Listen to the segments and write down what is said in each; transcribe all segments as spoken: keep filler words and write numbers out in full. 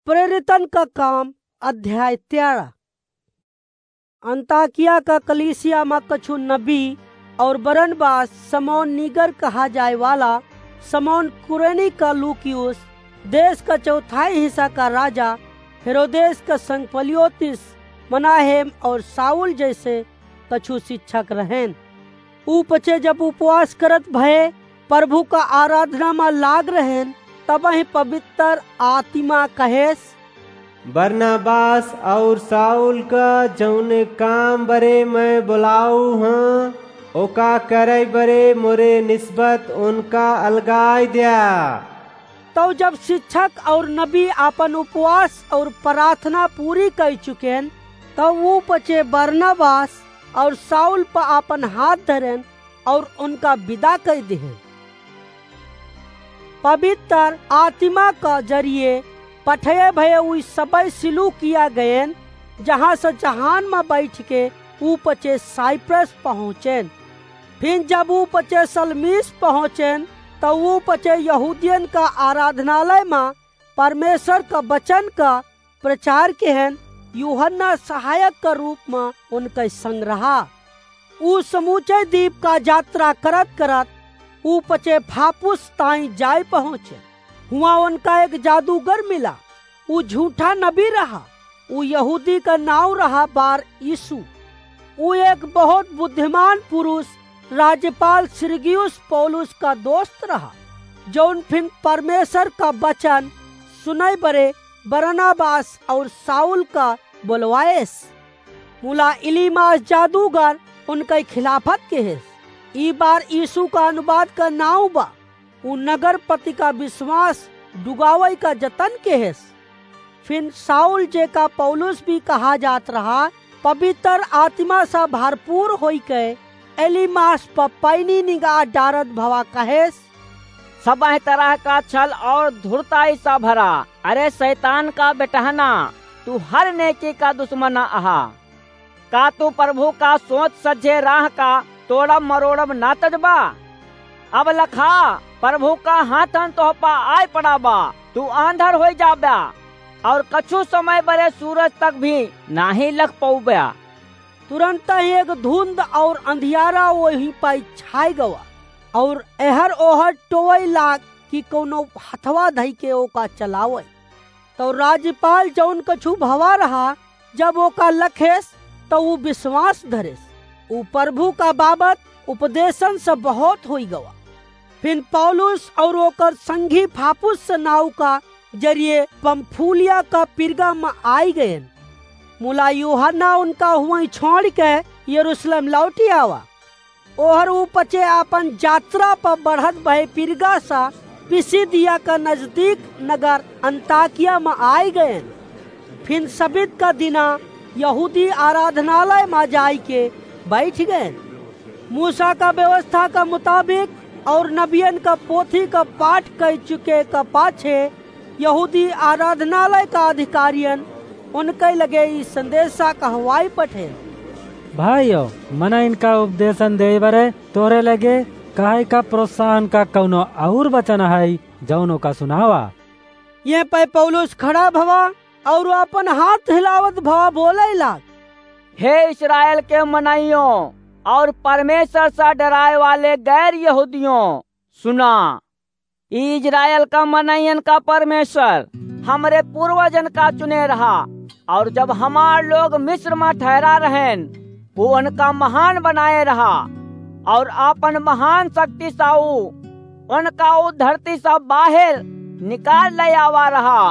प्रेरितन का काम, अध्याय तेरह। अंताकिया का कलीसिया मा कछु नबी और बरनबास, समौन नीगर कहा जाए वाला, समौन कुरेनी का लूकियुस, देश का चौथाई हिस्सा का राजा हेरोदेस का संग पलियोतिस, मनाहेम और साउल जैसे कछु शिक्षक रहेन। ऊ पचे जब उपवास करत भए, प्रभु का आराधना मा लाग रहेन, तबहिं पवित्र आत्मा कहेस, बरनबास और साउल का जौने काम बरे मैं बोलाऊ हँ, ओका करे बरे मोरे निस्बत उनका अलगाई द्या। तौ जब शिक्षक और नबी आपन उपवास और प्रार्थना पूरी कइ चुकेन, तौ ऊ पचे बरनबास और साउल प आपन हाथ धरेन और उनका विदा कइ दिहेन। पवित्र आत्मा का जरिए पठये भये ऊ सबइ सिलूकिया गएन, जहाँ से जहान मा बैठ के ऊ पचे साइप्रस पहुँचेन। फिर जब ऊ पचे सलमीस पहुँचेन, तौ ऊ पचे यहूदियन का आराधनालय मा परमेश्वर का वचन का प्रचार किहेन, यूहन्ना सहायक का रूप मा उनके संग रहा। ऊ समूचे दीप का यात्रा करत करत ऊ पचे फापुस ताईं जाइ पहुँचे। हुआँ उनका एक जादूगर मिला। ऊ झूठा नबी रहा। ऊ यहूदी का नाउँ रहा बार यीशु। ऊ एक बहुत बुद्धिमान पुरुष, राज्यपाल सिरगियुस पौलुस का दोस्त रहा, जौन फिन परमेश्वर का वचन सुनइ बरे बरनबास और साउल का बोलवाएस। मुला इलीमास जादूगर उनकइ खिलाफत किहेस। ई बार यीशु का अनुवाद का नाउँ बा। ऊ नगरपति का विश्वास डुगावइ का जतन किहेस। फिन साउल, जेका पौलुस भी कहा जात रहा, पवित्र आत्मा से भरपूर होइके एलीमास प पैनी निगाह डारत भवा कहेस, सबह तरह का छल और धूर्ताई से भरा, अरे शैतान का बेटहना, तू हर नेकी का दुश्मन अहा। का तू प्रभु का सोच सज्जे राह का तोड़ब मरोड़ब ना तजबा? अब लखा, प्रभु का हाथन तोह पा आइ पड़ा बा, तू आंधर होइ जाब्या और कछु समय बरे सूरज तक भी नाहीं लख पउब्या। तुरंत ही एक धुंध और अंधियारा वहीं पाई छाई गवा और एहर ओहर टोवइ लाग कि कउनो हथवा धइ के ओका चलावइ। तौ राज्यपाल जौन कछु भवा रहा, जब ओका लखेस, तौ ऊ विश्वास धरेस। ऊ प्रभु का बाबत उपदेशन से बहुत होइ गवा। फिन पौलुस और ओकर संगी फापुस नाव का जरिए पंफूलिया का पिरगा म आइ गएन। मुला यूहन्ना उनका हुआई छोड़ि के यरूशलेम लौटि आवा। ओहर ऊ पचे आपन यात्रा प बढ़त भए पिरगा सा पिसिदिया का नजदीक नगर अंताकिया म आइ गएन। फिन सबित का दिना यहूदी आराधनालय म जाइके बैठ गएन। मूसा का व्यवस्था का मुताबिक और नबियन का पोथी का पाठ कइ चुके का पाछे यहूदी आराधनालय का अधिकारियन उनके लगे ई संदेशा कहवाई पठे। भाइयो, मनइन का उपदेशन देइ बरे तोरे लगे काहे का प्रोत्साहन का कउनो अउर वचन हइ, जउन ओका सुनावा। ये पै पौलुस खड़ा भवा और आपन हाथ हिलावत भवा बोलइ लाग, हे इस्राएल के मनइयों और परमेश्वर से डराए वाले गैर यहूदियों, सुना। ई इस्राएल का मनइयन का परमेश्वर हमरे पूर्वजन का चुने रहा, और जब हमार लोग मिस्र म ठहरा रहेन, ऊ उनका महान बनाए रहा, और आपन महान शक्ति से ऊ उनका ऊ धरती से बाहर निकाल ले आवा रहा,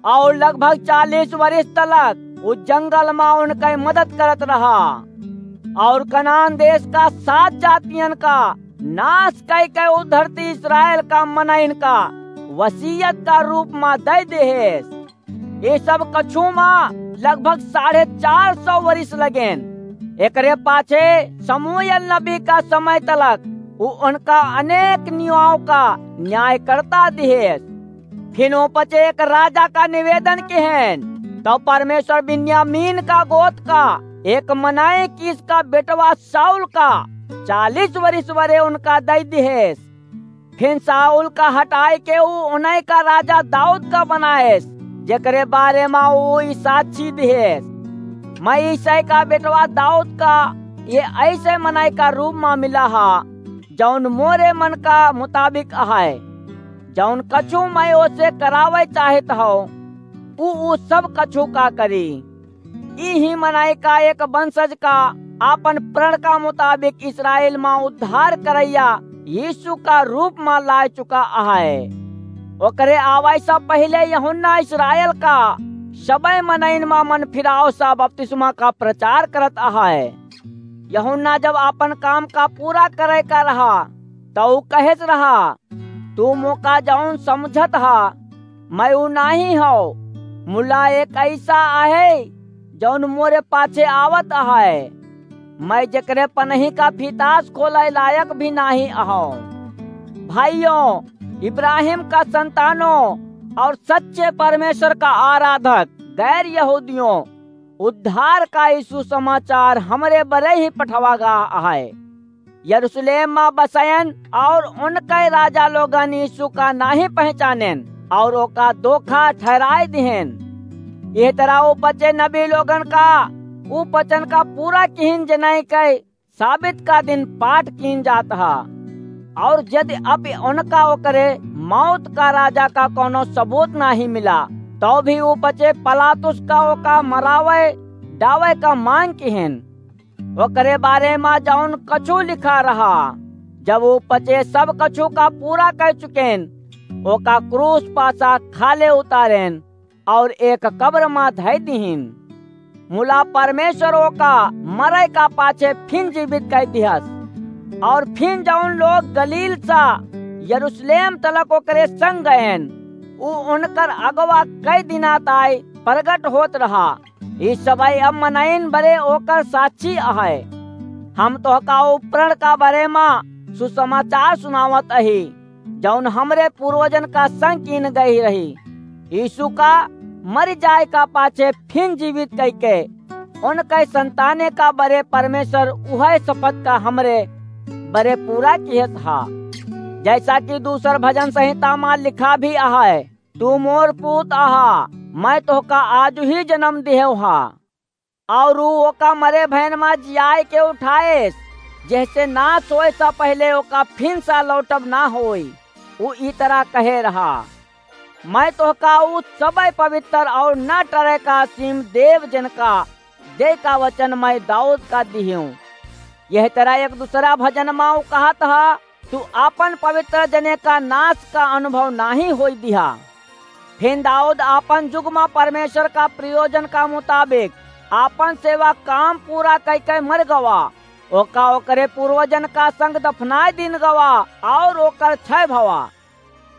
और लगभग चालीस वर्ष तलक ऊ जंगल म उनके मदद करत रहा, और कनान देश का सात जातियन का नाश कइ के ऊ धरती इस्राएल का मनइन का वसीयत का रूप म दइ देहेस। ई सब कछु म लगभग साढ़े चार सौ वरिस लगेन। एकरे पाछे शमूएल नबी का समय तलक ऊ उनका अनेक नियमों का न्याय करता दिहेस। फिन ओ पचे एक राजा का निवेदन किहेन, तब परमेश्वर बिन्यामीन का गोत का एक मनई कीस का बेटवा शाऊल का चालीस वरिस वरे उनका दइ दिहेस। फिन शाऊल का हटाइ के ऊ उनई का राजा दाऊद का बनाएस। जेकरे बारे मा ऊ ई साक्षी दिहेस, "मैं यिशै का बेटवा दाऊद का ये ऐसे मनई का रूप मा मिला हा, जौन मोरे मन का मुताबिक अहै। जौन कछु मैं ओसे करावै चाहत हौं, ऊ, ऊ सब कछु का करी।" इही मनई का एक वंशज का आपन प्रण का मुताबिक इस्राएल मा उद्धार करैया यीशु का रूप मा लाय चुका अहै। ओकरे आवै से पहिले यूहन्ना इस्राएल का सबै मनइन मा मन फिराव सा बपतिस्मा का प्रचार करत अहै। यूहन्ना जब आपन काम का पूरा करै का रहा, तौ ऊ कहेस रहा, "तू मोका जौन समुझत हा, मैं ऊ नाहीं हौं, मुला एक ऐसा अहै, जौन मोरे पाछे आवत अहै। मैं जेकरे पनही का फीतास खोलै लायक भी नाहीं अहौं।" भाइयों, इब्राहिम का संतानों और सच्चे परमेश्वर का आराधक गैर यहूदियों, उद्धार का ई सुसमाचार हमरे बरे ही पठवा गा अहै। यरूशलेम मा बसयन और उनकै राजा लोगन यीशु का नाहीं पहचानेन और ओका धोखा ठहराय दिहेन। एह तरह ऊ पचे नबी लोगन का ऊ वचन का पूरा किहिन, जेनई कै साबित का दिन पाठ कीन जात हा। और यदि अब उनका ओकरे मौत का राजा का कौनो सबूत नाहीं मिला, तौ भी ऊ पचे पिलातुस का ओका मरावै डावै का मांग किहेन। ओकरे बारे मा जौन कछु लिखा रहा, जब ऊ पचे सब कछु का पूरा कै चुकेन, ओका क्रूस पासा खाले उतारेन और एक कब्र मा धै दिहिन। मुला परमेश्वर ओका मरै का पाछे फिन जीवित कै दिहस। और फिन जौन लोग गलील सा यरूशलेम तलक ओकरे संग गएन, ऊ उनकर अगवा कै दिना ताई प्रगट होत रहा। ई सबै अब मनइन बरे ओकर साक्षी अहै। हम तोहका ऊ प्रण का बारे मा सुसमाचार सुनावत अही, जौन हमरे पूर्वजन का संग कीन गई रही। यीशु का मरि जाय का पाछे फिन जीवित कइके उनकै संताने का बरे परमेश्वर उहै शपथ का हमरे बरे पूरा किहत हा। जैसा कि दूसर भजन संहिता मा लिखा भी अहै, "तू मोर पूत अहा, मैं तोहका आजु ही जनम दिहेव हा।" और ऊ ओका मरे भयन मा जियाय के उठाएस, जेहसे नाश होए सा पहिले ओका फिन सा लौटब ना होई। ऊ ई तरह कहे रहा, "मैं तोहका ऊ सबै पवित्र और न टरे का सीम देव, जिनका दे का वचन मैं दाऊद का दिहियों।" यह तरह एक दूसरा भजन मा ऊ कहत हा, "तू आपन पवित्र जने का नाश का अनुभव नाहीं होई दिहा।" फिन दाऊद आपन जुग मा परमेश्वर का प्रयोजन का मुताबिक आपन सेवा काम पूरा कइके मर गवा। ओका ओकरे पूर्वजन का संग दफनाय दीन गवा और ओकर क्षय भवा।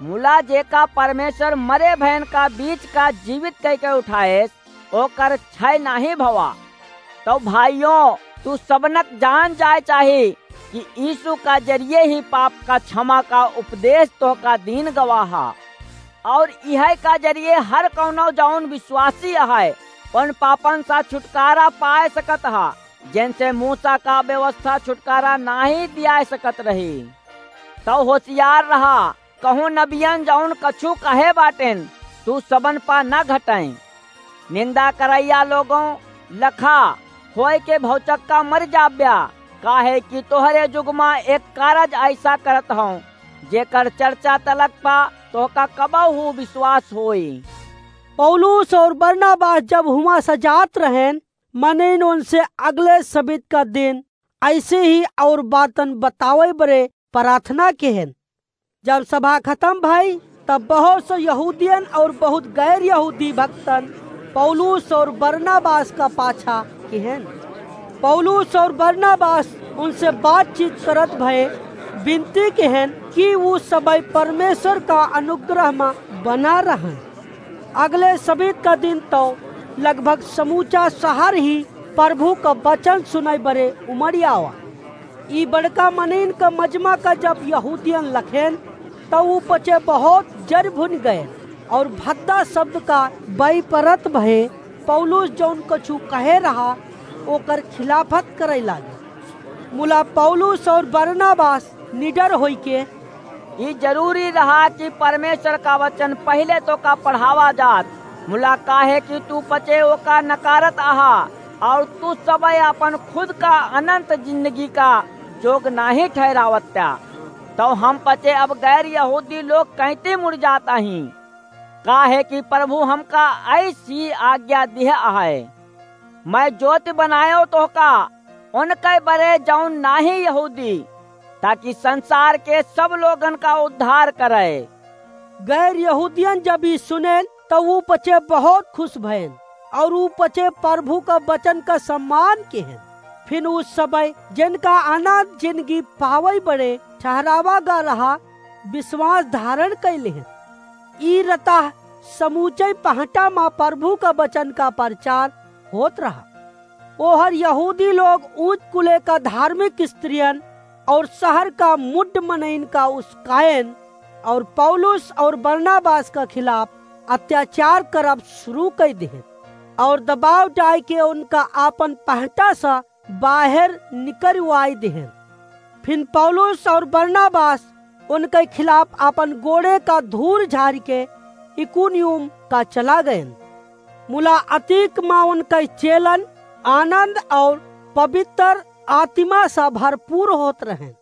मुला जेका परमेश्वर मरे भयन का बीच का जीवित कइके उठाएस, ओकर क्षय नाहीं भवा। तौ भाइयों, तू सबनक जान जाए चाही कि यीशु का जरिये ही पाप का क्षमा का उपदेश तोहका दीन गवा हा। और इहै का जरिये हर कौनो जौन विश्वासी अहै, उन पापन सा छुटकारा पाए सकत हा, जेनसे मूसा का व्यवस्था छुटकारा नाहीं दियाए सकत रही। तौ होशियार रहा, कहूँ नबियन जौन कछु कहे बाटेन, तू सबन पा न घटइँ। निंदा करइया लोगों, लखा होय के भौचक्का मर जाब्या, काहे कि तोहरे जुग मा एक कारज अइसा करत हौं, जेकर चर्चा तलक पा तोहका कबहू विश्वास होई। पौलुस और बरनबास जब हुआं से जात रहेन, मनइन उनसे अगले सबित का दिन अइसे ही और बातन बतावै बरे प्रार्थना किहेन। जब सभा खतम भई, तब बहुत से यहूदियन और बहुत गैर यहूदी भक्तन पौलुस और बरनबास का पाछा किहेन। पौलुस और बरनबास उनसे बातचीत करत भए बिनती किहेन कि ऊ सबै परमेश्वर का अनुग्रह मा बना रहन। अगले सबित का दिन तौ लगभग समूचा सहर ही प्रभु का बचन सुनै बरे उमड़ि आवा। ई बड़का मनइन का मजमा का जब यहूदियन लखेन, तौ ऊ पचे बहुत जरि भुनि गएन और भद्दा सब्द का बई परत भए पौलुस जौन कछु कहे रहा, ओकर खिलाफत करै लागे। मुला पौलुस और बरनबास निडर होइके, ई जरूरी रहा कि परमेश्वर का वचन पहिले तोहका पढ़ावा जात, मुला काहे कि तू पचे ओका नकारत आहा, और तू सबय अपन खुद का अनंत जिंदगी का जोग नाहीं ठहरावत्या, तो हम पचे अब गैर यहूदी लोग कैंती मुड़ जात अहीं? काहे कि प्रभु हमका ऐसी आज्ञा दिह आहे, "मैं ज्योति बनायो तोहका, उनके बरे जौन नाहीं यहूदी, ताकि संसार के सब लोगन का उद्धार करे।" गैर यहूदियन जब ई सुनेन, त ऊ पचे बहुत खुश भयन, और ऊ पचे प्रभु का वचन का सम्मान किहेन। फिन ऊ सबय जिनका अनंत जिंदगी पावै बरे ठहरावा गा रहा विश्वास धारण कइ लिहेन। ई रतह समूचे पहटा मा प्रभु का वचन का प्रचार होत रहा। ओहर यहूदी लोग ऊंच कुले का धार्मिक स्त्रियन और शहर का मुड्ड मनइन का उसकायन और पौलुस और बरनबास का खिलाफ अत्याचार करब शुरू कइ दिहेन और दबाव डाइ के उनका आपन पहटा सा बाहर निकरवाइ दिहेन। फिन पौलुस और बरनबास उनके खिलाफ आपन गोड़े का धूर झारि के इकुनियुम का चला गएन। मुला अतीक मा उनके चेलन आनंद और पवित्र आत्मा सा भरपूर होत रहेन।